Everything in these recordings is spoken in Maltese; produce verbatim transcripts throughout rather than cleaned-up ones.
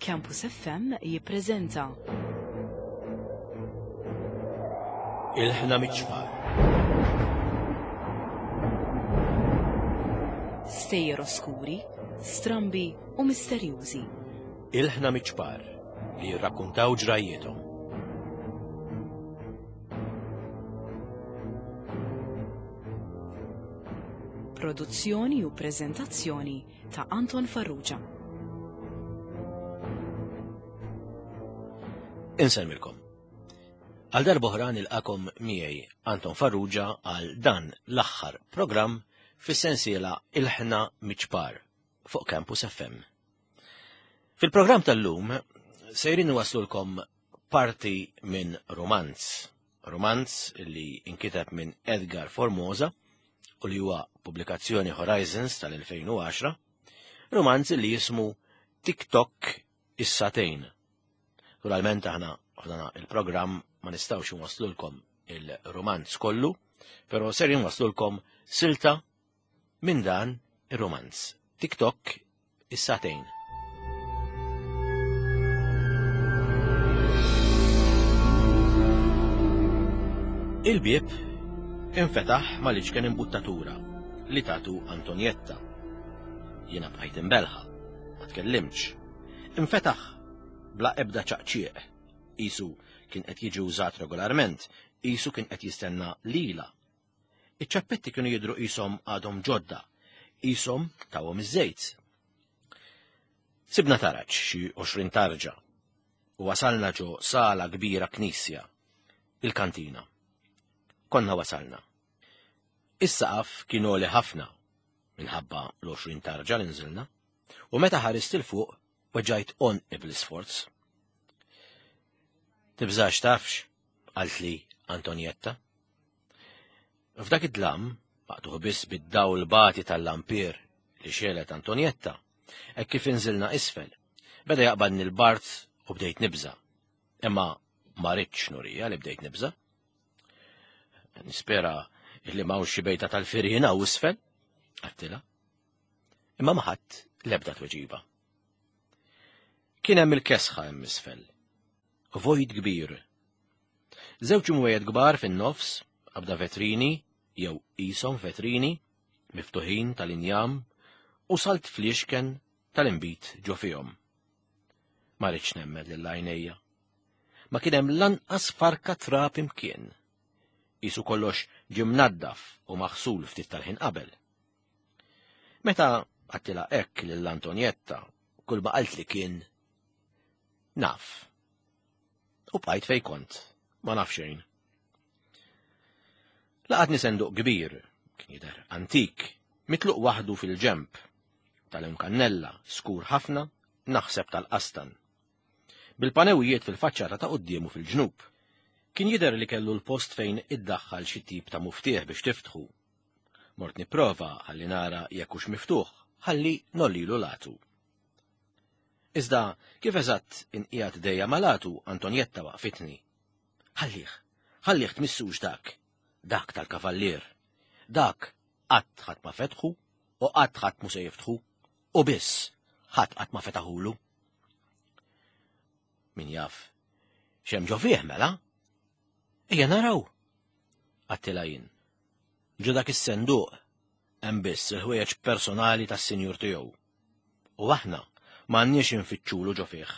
Campus F M jippreżenta Ilħna miċ-ċpar. Stejjer oskuri, strambi u misterjużi. Ilħna miċ-ċpar li jirrakkuntaw ġrajjietom. Produzzjoni u preżentazzjoni ta' Anton Farrugia. Insellmilkom. Għal darb'oħra nilqakom miegħi Anton Farrugia għal dan l-aħħar programm fis-sensiela Ilħna Miċ-ċpar fuq Campus F M. Fil-programm tal-lum sejrin waslulkom parti minn romanz. Romanz li inkiteb minn Edgar Formosa u li huwa pubblikazzjoni Horizons tal-elfejn u għaxra, romanz li jismu TikTok is-Satejn. Naturalment aħna f'dan il-programm ma nistgħux inwaslulkom il-romanz kollu, però ser inwaslulkom silta minn dan ir-romanz. TikTok is-Satejn. Il-bieb infetaħ mal-iċken imbuttatura li tatu Antonietta. Jiena bqajt imbelħa, ma tkellimtx. Infetaħ bla ebda ċaqċieq. Isu kien qed jiġi użat regolarment, isu kien qed jistenna lila. Iċ-ċappetti kienu jidhru qishom għadhom ġodda, qishom tawhom iż-żejt. Sibna taraġ xi għoxrin tarġa u wasalna ġo sala kbira knisja, il-kantina. Konna wasalna. Is-saqaf kien għoli ħafna minħabba l-għoxrin tarġa li nżilna, u meta ħarist il fuq weġġajt għonqi bl-isforz. Tibżax tafx, qaltli Antonietta. F'dak id-dlam, maqtuħ biss bid-dawl bati tal-lampir li xelet Antonietta, hekk kif inżilna isfel, beda jaqbadni l-bart u bdejt nibża. Imma ma ridtx nurija li bdejt nibża. Nispera li m'hawnx xi bejta tal-firina u isfel, għattilha. Imma ma ħadd l-ebda tweġiba. Kien hemm il-kesħa hemm isfel. Vojt kbir. Żewġ imwejjed kbar fin-nofs, qabda vetrini, jew qishom vetrini, miftuħin tal-injam, u salt fliexken tal-inbid ġo fihom. Ma rridx nemmen lil għajnejja. Ma kien hemm lanqas farka trab imkien. Isu kollox ġie mnaddaf u maħsul ftit tal-ħin qabel. Meta għattila hekk lil Antonietta, kull ma qaltli kien naf. U bqajt fej kont, ma naf xejn. Laqatni senduq kbir, kien jidher antik, mitluq waħdu fil-ġemp, tal-imkannella, skur ħafna, naħseb tal-qastan. Bil-panewijiet fil-faċċata ta' quddiemu fil-ġnub. Kien jidher li kellu l-post fejn iddaħħal xi tip ta' muftieħ biex tiftħu. Mort nipprova ħalli nara jekk hux miftuħ, ħalli nollilu latu. Iżda kif eżatt inqiegħed dejja malatu, Antonietta waqfitni. Ħallih, ħallih tmissux dak, dak tal-kavallier. Dak qatt ħadd ma fetħu u qatt ħadd mu se jiftħu u biss ħadd qatt ma fetaħulu. Min jaf, x'hemm ġo fih mela? Ejja naraw, għattilha jien. Ġo dak is-senduq hemm biss il-ħwejjeġ personali tas-sinjur tiegħu. U aħna m'għandniex infittxulu ġo fih.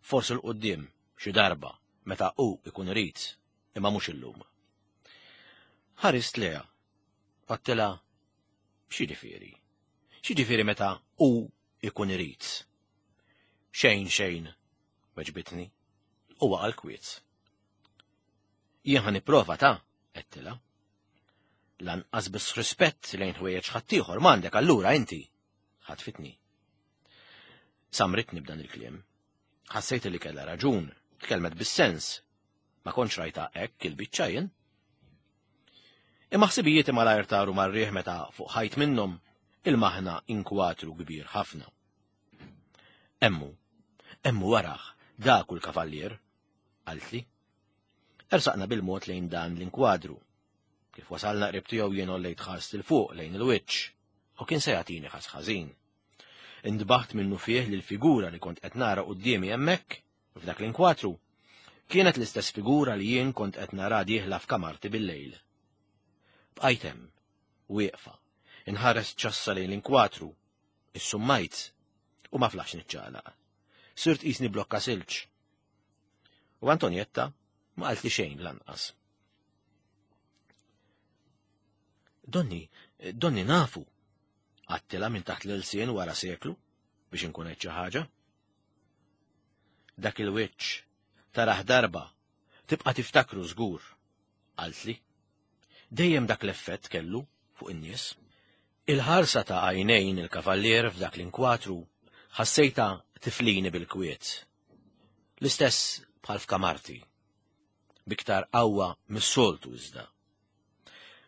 Forsi l quddiem xi darba meta hu ikun irid, imma mhux illum. Ħarist leha, għattilha x'jiġifieri? X'jiġifieri meta hu ikun irid? Xejn xejn, weġbitni, u waqa' l-kwiet. Jien ħa nipprova ta', għedtilha. Lanqas biss rispett lejn ħwejjeġ ħaddieħor m'għandek allura inti, ħatfitni. Samritni b'dan il-kliem. Ħassejt li kellha raġun, tkellmet bis-sens. Ma kontx rajta hekk il-biċċa jien. Imma ħsibijieti malajr taru mar-riħ meta fuq ħajt minnhom il-maħna inkwatru kbir ħafna. Emmu, emmu waraħ, dak u l-kavallier, qaltli. Ersaqna bil-mod lejn dan l-inkwadru. Kif wasalna qrib tiegħu jien għollejt ħarst il fuq lejn il-wiċċ u kien se jagħtini ħas ħażin. Indbaħt minnu fih li l-figura li kont qed nara quddiemi hemmhekk, f'dak l-inkwatru, kienet l-istess figura li jien kont qed nara dieħla f'kamarti bil-lejl. Bqajt hemm, wieqfa, inħares ċassa lejn l-inkwatru, issummajt, u ma flaħx niċċaqlaq. Sirt qisni blokka silġ. U Antonietta ma qaltli xejn lanqas. Donni, donni nafu, għattila minn taħt l-ilsien wara seklu biex inkun qed xi ħaġa. Dak il-wiċċ taraħ darba, tibqa' tiftakru żgur, qaltli. Dejjem dak l-effett kellu fuq in-nies. Il-ħarsa ta' għajnejn il-kavallier f'dak l-inkwatru ħassejta tiflini bil-kwiet. L-istess bħal f'kamarti, biktar qawwa mis-soltu iżda.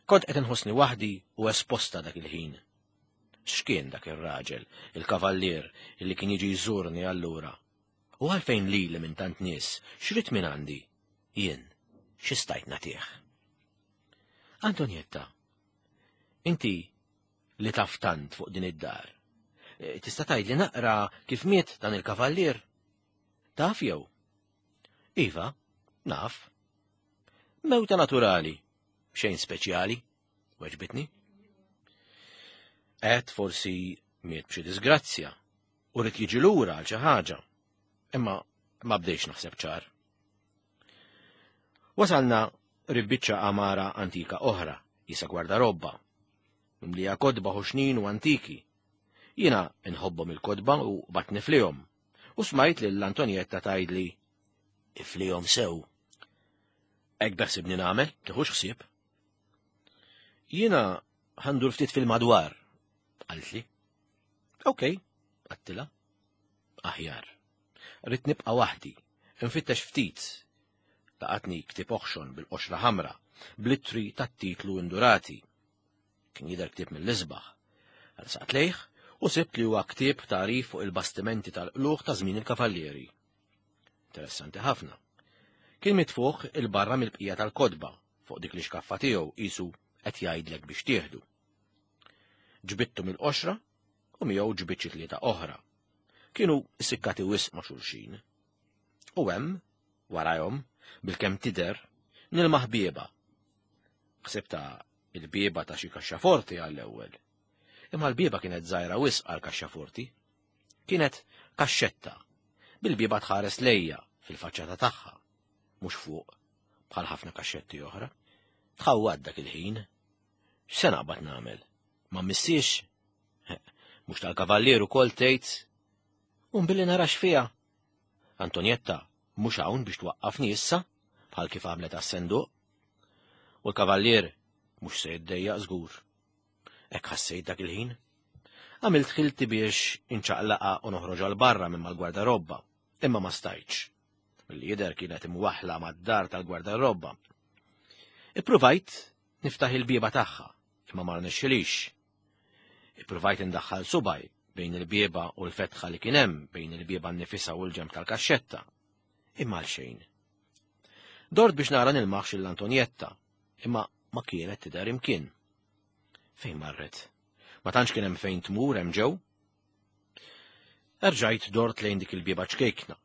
Kont qed inħossni waħdi u esposta dak il-ħin. X'kien dak ir-raġel, il-kavallier, illi kien jiġi jżurni allura? U għalfejn lili minn tant nies, x'rid minn għandi? Jien, xi stajt nagħtih? Antonietta, inti li taf tant fuq din id-dar, tista' tgħidli naqra kif miet dan il-kavallier? Taf jew? Iva, naf. Mewta naturali, xejn speċjali, weġbitni. Għed forsi miet b'xi disgrazzja u rrid jiġi lura għal xi ħaġa, imma ma bdejx naħseb ċar. Wasalna ribbiċċa għamara antika oħra, jisa gwardarobba, mimlija kodba ħoxnin u antiki. Jiena nħobbhom il-kodba u bat niflihom, u smajt lil Antonietta tgħidli iflihom sew. Hekk beħsibni nagħmel, tiħux ħsieb. Jiena ħandur ftit fil-madwar, qaltli. Okej, għattila. Aħjar. Rrid nibqa' waħdi, infittex ftit. Laqatni ktieb oħxon bil-qoxra ħamra, blittri tat-titlu indurati. Kien jidher ktieb mill-isbaħ. Għal lejh u sibt li huwa ktieb tagħrif fuq il-bastimenti tal-qluħ ta' żmien il-kavallieri. Interessanti ħafna. Kien mitfuħ il-barra mill-bqija tal-kodba fuq dik li xkaffa tiegħu qisu qed jgħidlek biex tieħdu. Ġbittu mill-qoxra u miegħu ġbit xi tlieta oħra. Kienu sikkati wisq ma' xulxin. U hemm, warajhom, bil-kemm tidher, nilmaħ bieba. Ħsibta il-bieba ta' xi kaxxaforti għall-ewwel. Imma l-bieba kienet żgħira wisq għal kaxxaforti. Kienet kaxxetta, bil-bieba tħares lejja fil-faċċata tagħha, mhux fuq bħal ħafna kaxxetti oħra. Tħawwad dak il-ħin. X'se naqbad nagħmel? Ma missiex? Mhux tal-kavallier ukoll tgħid. Un billi narax fiha. Antonietta mhux hawn biex twaqqafni issa, bħal kif għamlet għas-senduq. U l-kavallier mhux se jiddejjaq żgur. Hekk ħassejt dak il-ħin. Għamilt ħilti biex inċaqlaqa u noħroġ għal barra minn mal-gwardarobba, imma ma stajtx. Milli jidher kienet imwaħla mad-dar tal-gwardarobba. Ippruvajt niftaħ il-bieba tagħha, imma ma rnexxilix. Ippruvajt indaħħal subaj bejn il-bieba u l-fetħa li kien hemm bejn il-bieba nnifisha u l-ġenb tal-kaxxetta. Imma għal xejn. Dort biex nara nilmaħx l-Antonietta, imma ma kienet tidher imkien. Fejn marret? Ma tantx kien hemm fejn tmur hemm ġew. Erġajt dort lejn dik il-bieba ċkejkna.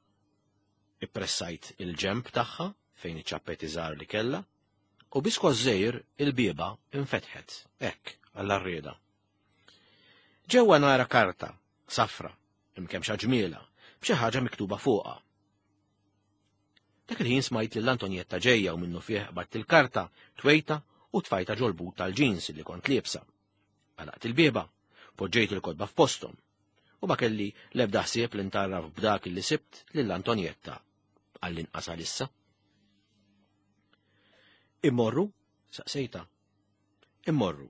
Ippressajt il-ġenb tagħha fejn iċ-ċappetti żgħar li kellha, u biskos żgħir il-bieba infetħet, hekk għall-arrieda. Ġewwa nara karta, safra, imkemxa ġmiela, b'xi ħaġa miktuba fuqha. Dak il-ħin smajt lil Antonietta ġejja u minnu fih qbadt il-karta, twejta u tfajta ġol-but tal-ġins li kont liebsa. Għalaqt il-bieba, poġġejt il-kodba f'posthom, u ma kelli l-ebda ħsieb li ntarraf b'dak li sibt lil Antonietta għall-inqas għalissa. Immorru? Saqsejta. Immorru.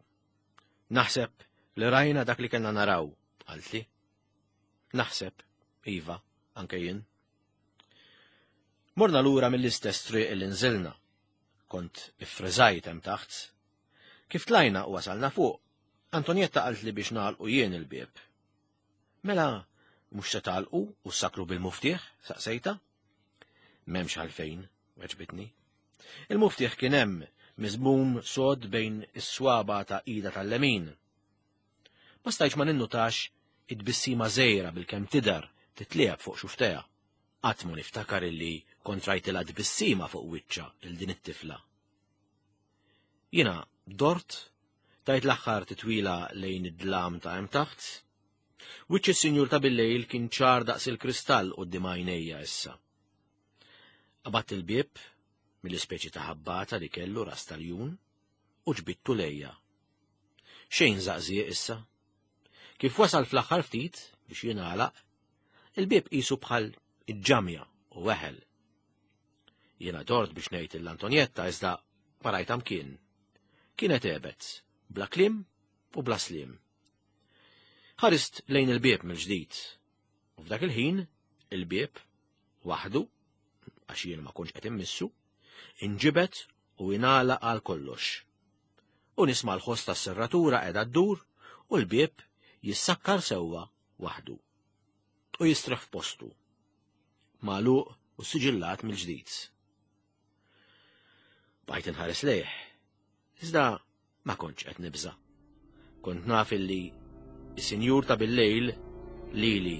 Naħseb li rajna dak li kellna naraw, qaltli. Naħseb, iva, anke jien. Morna lura mill-istess triq li nżilna. Kont iffriżajt hemm taħt. Kif tlajna u wasalna fuq, Antonietta qaltli biex nagħlqu jien il-bieb. Mela, mhux se tagħlqu u ssakru bil-muftieħ, saqsejta? M'hemmx għalfejn, weġbitni. Il-muftieħ kien hemm miżmum sod bejn is-swaba ta' ida tal-lemin. Ma stajtx ma ninnutax Id-bissima żgħira bil-kemm tidher titliegħeb fuq xuftejha. Qatt ma niftakar illi kont rajtilha tbissima fuq wiċċha il din it-tifla. Jiena dort, tajt l-aħħar titwila lejn id-dlam ta' hemm taħt. Wiċċ is-sinjur ta' bil-lejl kien ċar daqs il-kristall quddiem għajnejja issa. Qabadt il-bieb mill-ispeċi ta' ħabbata li kellu ras tal-jun u ġbittu lejja. Xejn żaqżieq issa. Kif wasal fl-aħħar ftit biex jingħalaq, il-bieb qisu bħal iġġamja u weħel. Jiena dort biex ngħid l-Antonietta iżda ma rajtha mkien. Kienet għebet, bla kliem u bla sliem. Ħarist lejn il-bieb mill-ġdid. U f'dak il-ħin, il-bieb, waħdu, għax jien ma kontx qed immissu, inġibet u ingħalaq għal kollox. U nisma' l-ħoss tas-serratura qiegħda ddur u l-bieb jissakkar sewwa waħdu. U jistrieħ f'postu, magħluq u siġillat mill-ġdid. Bqajt inħares lejh, iżda ma kontx qed nibża'. Kont naf illi is-sinjur ta' bil-lejl lili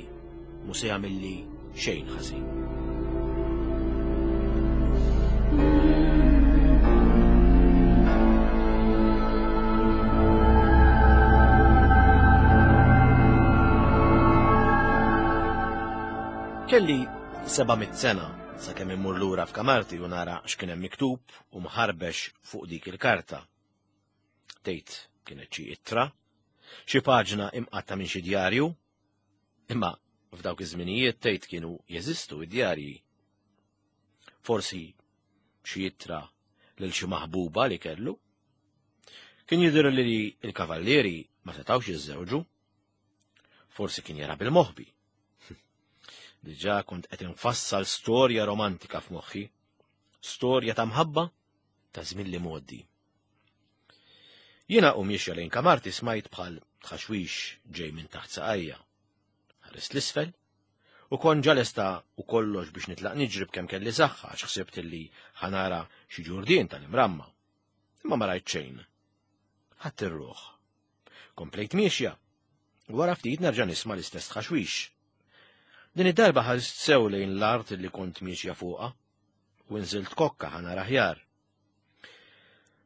mhu se jagħmilli xejn ħażin. Kelli seba' mitt sena sakemm immur lura f'kamarti u nara x'kien hemm miktub u mħarbex fuq dik il-karta. Tgħid kienet xi ittra, xi paġna imqatta minn xi djarju, imma f'dawk iż-żminijiet tgħid kienu jeżistu id-djarji. Forsi xi ittra lil xi maħbuba li kellu. Kien jidher li l-kavallieri ma setgħux jiżżewġu. Forsi kien jara bil-moħbi. Diġà kont qed infassal storja romantika f'moħħi, storja ta' mħabba ta' żmien li mgħoddi. Jiena u miexja lejn kamarti smajt bħal tħaxwix ġej minn taħt saqajja. Ħarist l-isfel u kont ġa lesta u kollox biex nitlaq niġri b'kemm kelli saħħa għax ħsibt illi ħanara xi ġurdien tal-imramma. Imma ma rajt xejn. Ħadd ir-ruħ. Komplejt miexja. Wara ftit nerġa' nisma' l-istess tħaxwix. Din id-darba ħarist sew lejn l-art li kont miexja fuqha u nżilt kokka ħanara aħjar.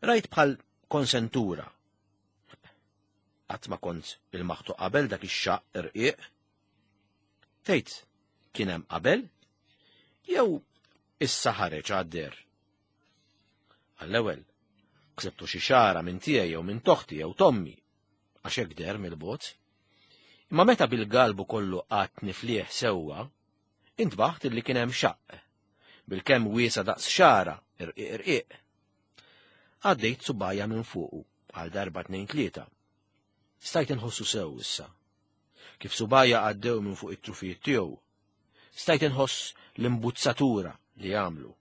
Rajt bħal konsentura. Qatt ma kont il-maħtu qabel dak ix-xaqq irqiq. Tgħid kien hemm qabel jew issa ħareġ għad-der. Għall-ewwel ksebtu xi xara minn tiegħi jew minn toħti jew tommi għax hekk der mill-bogħod. Imma meta bil-galbu kollu qatt niflieħ sewwa, intbaħt illi kien hemm xaqq, bil-kemm wiesa daqs xara irqiq irqiq. Għaddejt subajja minn fuqu għal darba tnejn tlieta. Stajt inħossu sew issa. Kif subajja għaddew minn fuq it-trufijiet tiegħu, stajt inħoss l-imbuzzatura li għamlu.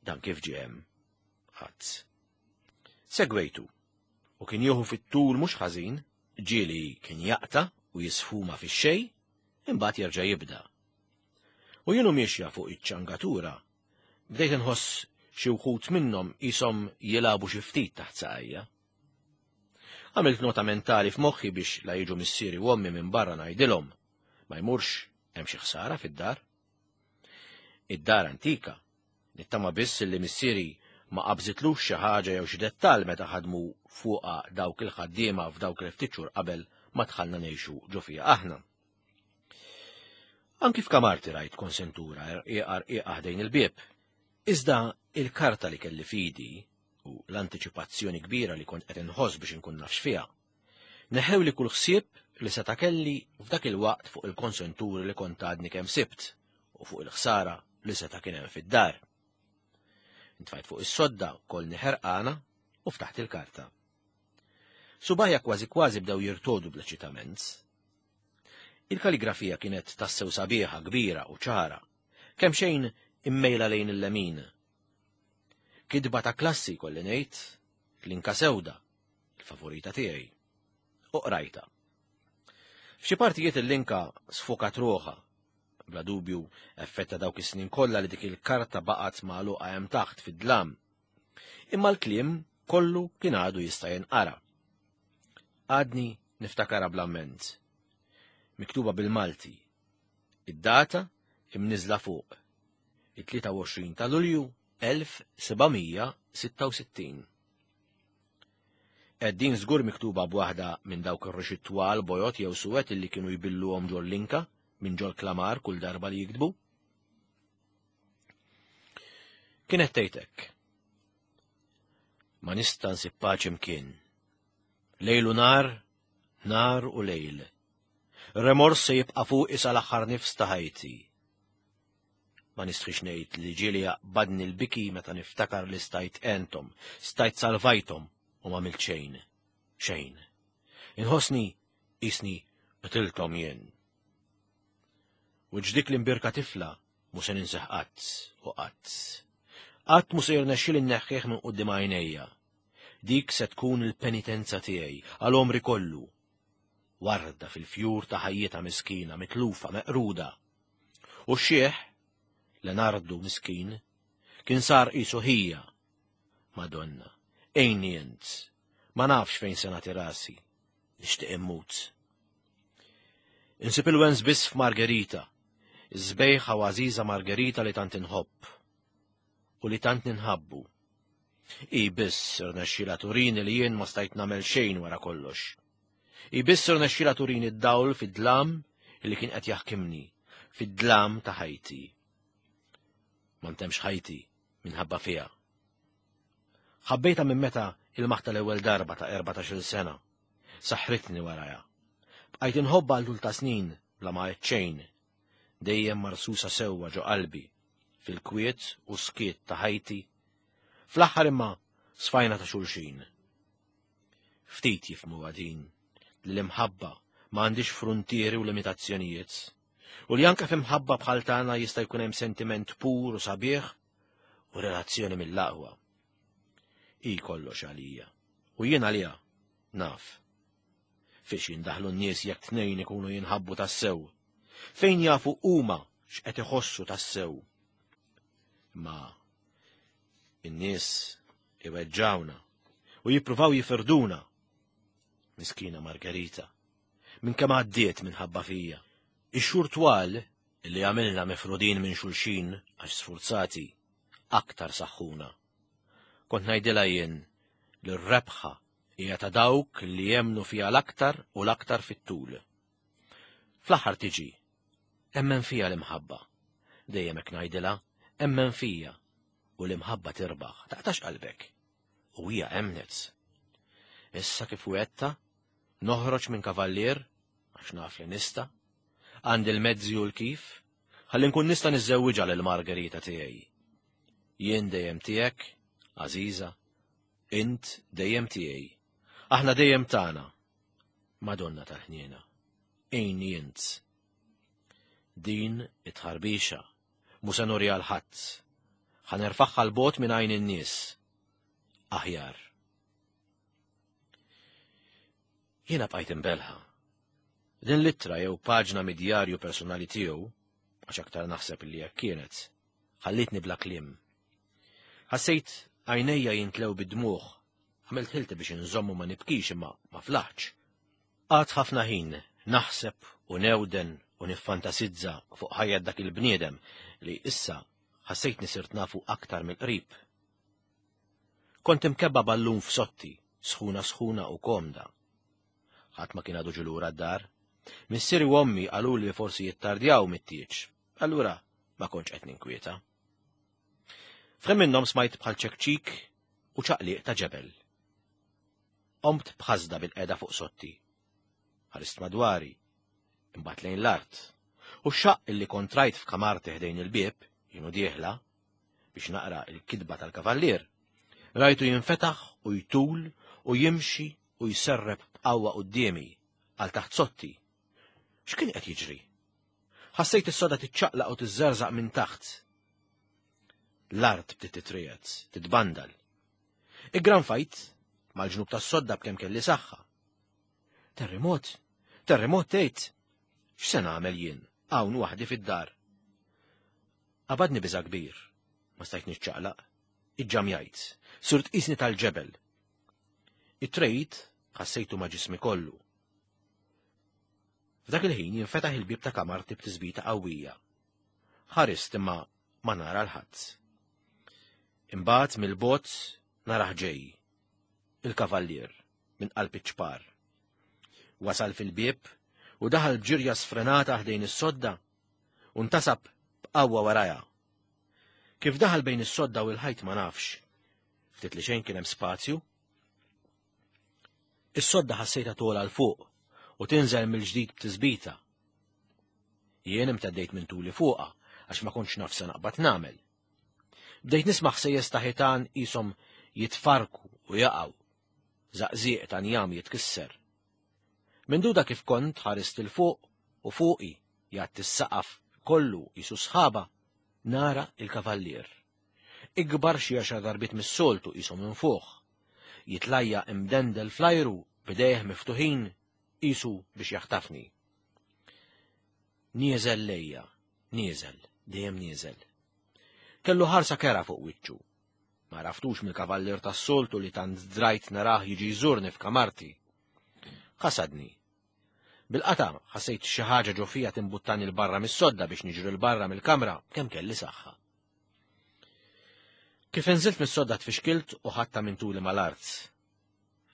Dan kif ġie hemm? Ħadd. Segwejtu u kien jieħu fit-tul mhux ħażin, ġieli kien jaqta' u jisfuma fix-xejn, imbagħad jerġa' jibda. U jienu miexja fuq iċ-ċangatura, bdejt inħoss xi wħud minnhom qishom jilagħbu xi ftit taħt saqajja. Għamilt nota mentali f'moħħi biex la jiġu missieri u ommi minn barra ngħidilhom ma jmurx hemm xi ħsara fid-dar. Id-dar antika, nittama biss li missieri ma qabżitlux xi ħaġa jew xi dettall meta ħadmu fuqha dawk il-ħaddiema f'dawk il-ftit xhur qabel ma dħalna ngħixu ġo fiha aħna. Anki f'kamarti rajt konsentura rqiqa rqiqa ħdejn il-bieb. Iżda il-karta li kelli fidi u l-antiċipazzjoni kbira li kont qed inħoss biex inkun nafx fiha, neħew li kull ħsieb li seta' kelli f'dak il-waqt fuq il-konsenturi li kont għadni kemm sibt u fuq il-ħsara li seta' kien hemm fid-dar. Intfajt fuq is-sodda kolni ħerqana u ftaħt il-karta. Subajja kważi kważi bdew jirtodu bl-eċitament. Il-kaligrafija kienet tassew sabiħa, kbira u ċara, kemm xejn immejla lejn il-lemin. Kidba ta' klassi kolli ngħid, l-inka sewda, il-favorita tiegħi. U qrajta. F'xi partijiet il-linka sfokat ruħha, bla dubju effetta dawk is-snin kollha li dik il-karta baqgħet magħluqa hemm taħt fid-dlam. Imma l-kliem kollu kien għadu jista' jinqara. Għadni Niftakarha bl-amment. Miktuba bil-Malti. Id-data imniżla fuq. it-tlieta u għoxrin ta' Lulju elf seba' mija sitta u sittin. Din żgur miktuba b'waħda minn dawk ir-rixi twal bojod jew suwed illi kienu jbilluhom ġol-linka minn ġol klamar kull darba li jiktbu. Kienet tgħid hekk. Ma nista' nsib paċi mkien. Lejl u nar, nar u lejl. Remors se jibqa' fuqi sal-aħħar nifs ta' ħajti. Ma nistħix ngħid li ġieli jaqbadni l-biki meta niftakar li stajt għenthom, stajt salvajthom u ma għamilt xejn, xejn. Inħossni qisni qtilthom jien. U ġdik l-imbirka tifla mu se ninseħ qatt u qatt. Qatt mu se jirnexxili nneħħih minn quddiem għajnejja. Dik se tkun il-penitenza tiegħi għal għomri kollu. Warda fil-fjur ta' ħajjitha miskina, mitlufa, meqruda. U x-xieħ, Leonardo miskin, kien sar qisu ħija. Madonna, għinni int, ma nafx fejn se nagħti rasi, nixtieq immut. Insib il-wens biss f'Margherita, iż-żbejħa u għażiża Margherita li tant inħobb u li tant ninħabbu. I biss irnexxielha turini li jien ma stajt nagħmel xejn wara kollox. I biss irnexxielha turini d-dawl fid-dlam li kien qed jaħkimni, fid-dlam ta' ħajti. Ma ntemx ħajti minħabba fiha. Ħabbejtha minn meta il-maħta l-ewwel darba ta' erbatax-il sena. Saħħritni warajha. Bqajt inħobbha għal tul ta' snin bla ma għedt xejn. Dejjem marsusa sewwa ġo qalbi, fil-kwiet u skiet ta' ħajti. Fl-aħħar imma sfajna ta' xulxin. Ftit jifhmu din li l-imħabba ma għandix fruntieri u limitazzjonijiet. U li anke f'imħabba bħal tagħna jista' jkun hemm sentiment pur u sabiħ u relazzjoni mill-aqwa. I kollox għalija. U jien għalija naf. Fiex jindaħlu n-nies jekk tnejn ikunu jinħabbu tassew. Fejn jafu huma x'qed iħossu tassew. Ma in-nies iweġġawna u jippruvaw jifirduna. Miskina Margherita, minn kemm għaddiet minħabba fija. Ix-xhur twal li għamilna mifrudin minn xulxin għax sfurzati aktar saħħuna. Kont ngħidilha jien li r-rebħa hija ta' dawk li jemnu fiha l-aktar u l-aktar fit-tul. Fl-aħħar tiġi, emmen fija l-imħabba. Dejjem hekk ngħidilha, emmen fija u l-imħabba tirbaħ, taqtax qalbek. U hija emnet. Issa kif wetta, noħroġ minn kavallier, għax naf li nista', għandi l-mezzi u l-kif, ħalli nkun nista' niżżewwiġha lil Margherita tiegħi. Jien dejjem tiegħek, Għażiża, int dejjem tiegħi, aħna dejjem tagħna. Madonna tal-ħniena, għinni int. Din it-tħarbixa mu se nuri għal ħadd. Ħa nerfagħha l-bogħod minn għajn in-nies. Aħjar. Jiena bqajt imbelħa. Din l-ittra jew paġna mid-djarju personali tiegħu, għax aktar naħseb li hekk kienet, ħallitni bla kliem. Ħassejt għajnejja jintlew bid-dmugħ, għamilt ħilti biex inżommu ma nibkix imma ma flaħtx. Qgħadt ħafna ħin naħseb u newden u niffantasizza fuq ħajja dak il-bniedem li issa ħassejtni sirt nafu aktar mill-qrib. Kont imkebba ballun f'sotti, sħuna sħuna u komda. Ħadd ma kien għadu ġulura d-dar. Missieri u ommi qalu li forsi jittardjaw mit-tieġ. Allura ma kontx qed ninkwieta. F'ħin minnhom smajt bħal ċekċik u ċaqliq ta' ġebel. Qomt b'ħasda bil-qeda fuq sotti. Ħarist madwari, imbagħad lejn l-art. U x-xaqq illi kont rajt f'kamarti ħdejn il-bieb, jienu dieħla, biex naqra il-kidba tal-kavallier, rajtu jinfetaħ u jtul u jimxi u jserreb b'qawwa quddiemi għal taħt sotti. X'kien qed jiġri? Ħassejt is-soda tiċċaqlaq u tiżżerżaq minn taħt. L-art bdiet titriegħed, titbandal. Iggranfajt mal-ġnub tas-sodda b'kemm kelli saħħa. Terremot, terremot tgħid. X'se nagħmel jien hawn waħdi fid-dar? Qabadni biża' kbir, ma stajt niċċaqlaq. Iġġamjajt, sirt qisni tal-ġebel. It-trejt ħassejtu ma' ġismi kollu. F'dak il-ħin jinfetaħ il-bieb ta' kamarti b'tisbita qawwija. Ħarist imma ma nara l-ħadd. Imbagħad mill-bogħod narah ġej, il-kavallier minn qalb iċ-ċpar. Wasal fil-bieb u daħal b'ġirja sfrenata ħdejn is-sodda u ntasab b'qawwa warajha. Kif daħal bejn is-sodda u l-ħajt ma nafx. Ftit li xejn kien hemm spazju. Is-sodda ħassejtha togħla 'l fuq u tinżel mill-ġdid b'tisbita. Jien imteddejt minn tuli fuqha għax ma kontx naf se naqbad nagħmel. Bdejt nisma' ħsejjes ta' ħitan qishom jitfarku u jaqgħu, żaqżieq ta' njam jitkisser. Minduda kif kont ħarist 'il fuq u fuqi jgħatti s-saqaf kollu qisu sħaba, nara il-kavallier. Ikbar xi għaxar darbiet mis-soltu qisu minn fuq. Jitlajja imdendel fl-ajru b'idejh miftuħin qisu biex jaħtafni. Nieżel lejja, nieżel, dejjem nieżel. Kellu ħarsa kera fuq wiċċu. Ma għaraftux mill-kavallier tas-soltu li tant drajt narah jiġi jżurni f'kamarti. Ħasadni. Bil-qata ħassejt xi ħaġa ġo fija timbuttani 'l barra mis-sodda biex niġri 'l barra mill-kamra kemm kelli saħħa. Kif inżilt mis-sodda tfixkilt u ħadtha minn tuli mal-art.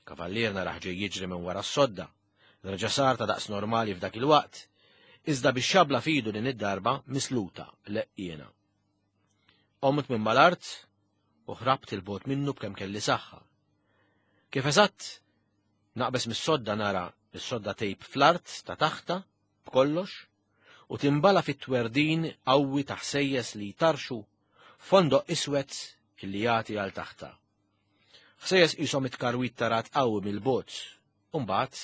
Kavallier narah ġej jiġri minn wara s-sodda, reġa' sar ta' daqs normali f'dak il-waqt, iżda bix-xabla f'idu din id-darba misluta leqqiena. Qomt minn mal-art u ħrabt 'il bogħod minnu b'kemm kelli saħħa. Kif eżatt naqbes mis-sodda nara is-sodda tgħib fl-art ta' taħta b'kollox u timbala fit-twerdin qawwi ta' ħsejjes li jtarxu fondoq iswed illi jagħti għal taħta. Ħsejjes qishom it-tkarwit ta' rat qawwi mill-bogħod u mbagħad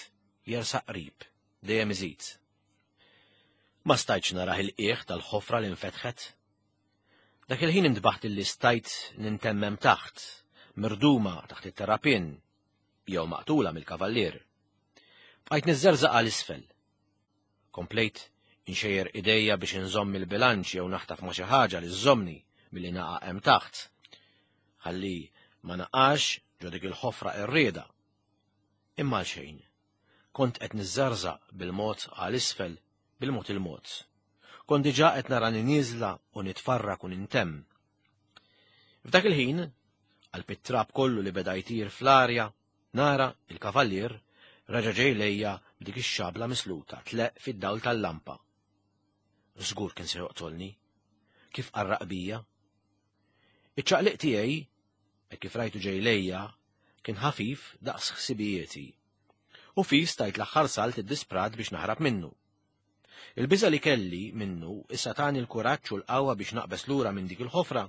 jersaq qrib, dejjem iżid. Ma stajtx narah il-qiegħ tal-ħofra li nfetħet. Dak il-ħin intbaħt illi stajt nintemmem taħt, mirduma taħt it-terrapien, jew maqtula mill-kavallier. Bqajt niżżerżaq għal isfel. Komplejt inxejjer idejja biex inżomm il-bilanċ jew naħtaf ma' xi ħaġa li żżomni milli naqa' hemm taħt. Ħalli ma naqax ġo dik il-ħofra qerrieda. Imma għal xejn. Kont qed niżżerżaq bil-mod għal isfel, bil-mod il-mod. Kont diġà qed narani nieżla u nitfarrak u nintemm. F'dak il-ħin, għal it-trab kollu li beda jtir fl-arja, nara il-kavallier reġa' ġej lejja b'dik ix-xabla misluta tleqq fid-dawl tal-lampa. Żgur kien se joqtolni. Kif qarraq bija? Iċ-ċaqliq tiegħi, hekk kif rajtu ġej lejja, kien ħafif daqs ħsibijieti. U fis tajt l-aħħar salt iddisprat biex naħrab minnu. Il-biża' li kelli minnu issa tani l-kuraġġ u l-qawwa biex naqbes lura minn dik il-ħofra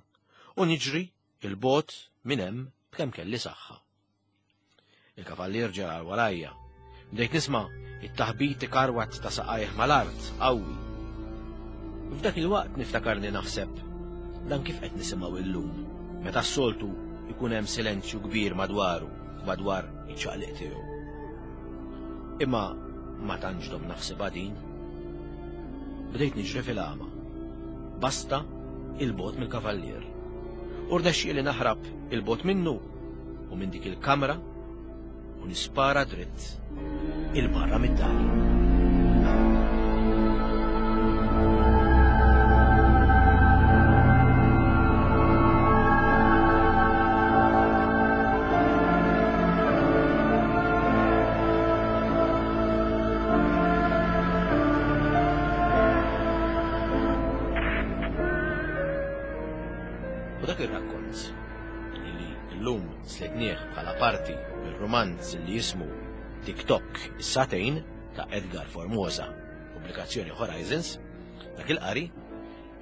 u niġri il-bogħod minn hemm b'kemm kelli saħħa. Il-kavallier ġera warajja. Bdejt nisma' it-taħbit ikarwat ta' saqajh mal-art qawwi. F'dak il-waqt niftakarni naħseb dan kif qed nisimgħu illum, meta s-soltu ikun hemm silenzju kbir madwaru u madwar iċ-ċaqliq tiegħu. Imma ma tantx dom naħsibha din. Bdejt niġri fil-għama. Basta il-bogħod mill-kavallier. U rnexxieli naħrab il-bogħod minnu u minn dik il-kamra u nispara dritt il-barra mid-dar. U dak ir-rakkont li llum slitnieh bħala parti mir-rumanz li jismu TikTok is-Satejn ta' Edgar Formosa, pubblikazzjoni Horizons, dak il-qari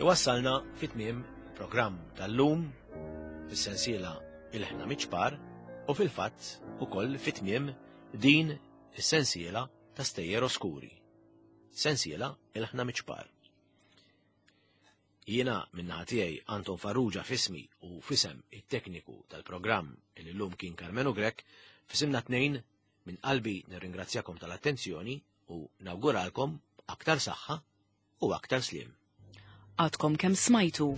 iwassalna fit-tmiem programm tal-lum fis-sensiela Il-Ħna Miċ-Ċpar u fil-fatt ukoll fit-tmiem din is-sensiela ta' Stejjer Oskuri. Sensiela Il-Ħna Miċ-Ċpar. Jiena min-naħa tiegħi Anton Farrugia f'ismi u f'isem it-tekniku tal-programm li llum kien Karmenu Grech, f'isimna tnejn minn qalbi nirringrazzjakom tal-attenzjoni u nawguralkom aktar saħħa u aktar sliem. Għadkom kemm smajtu.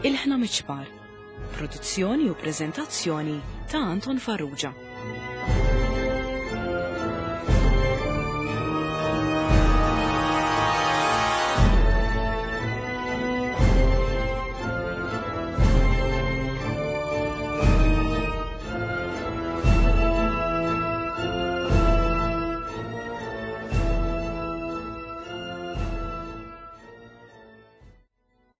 Il-Ħna Miċ-Ċpar. Produzzjoni u preżentazzjoni ta' Anton Farrugia.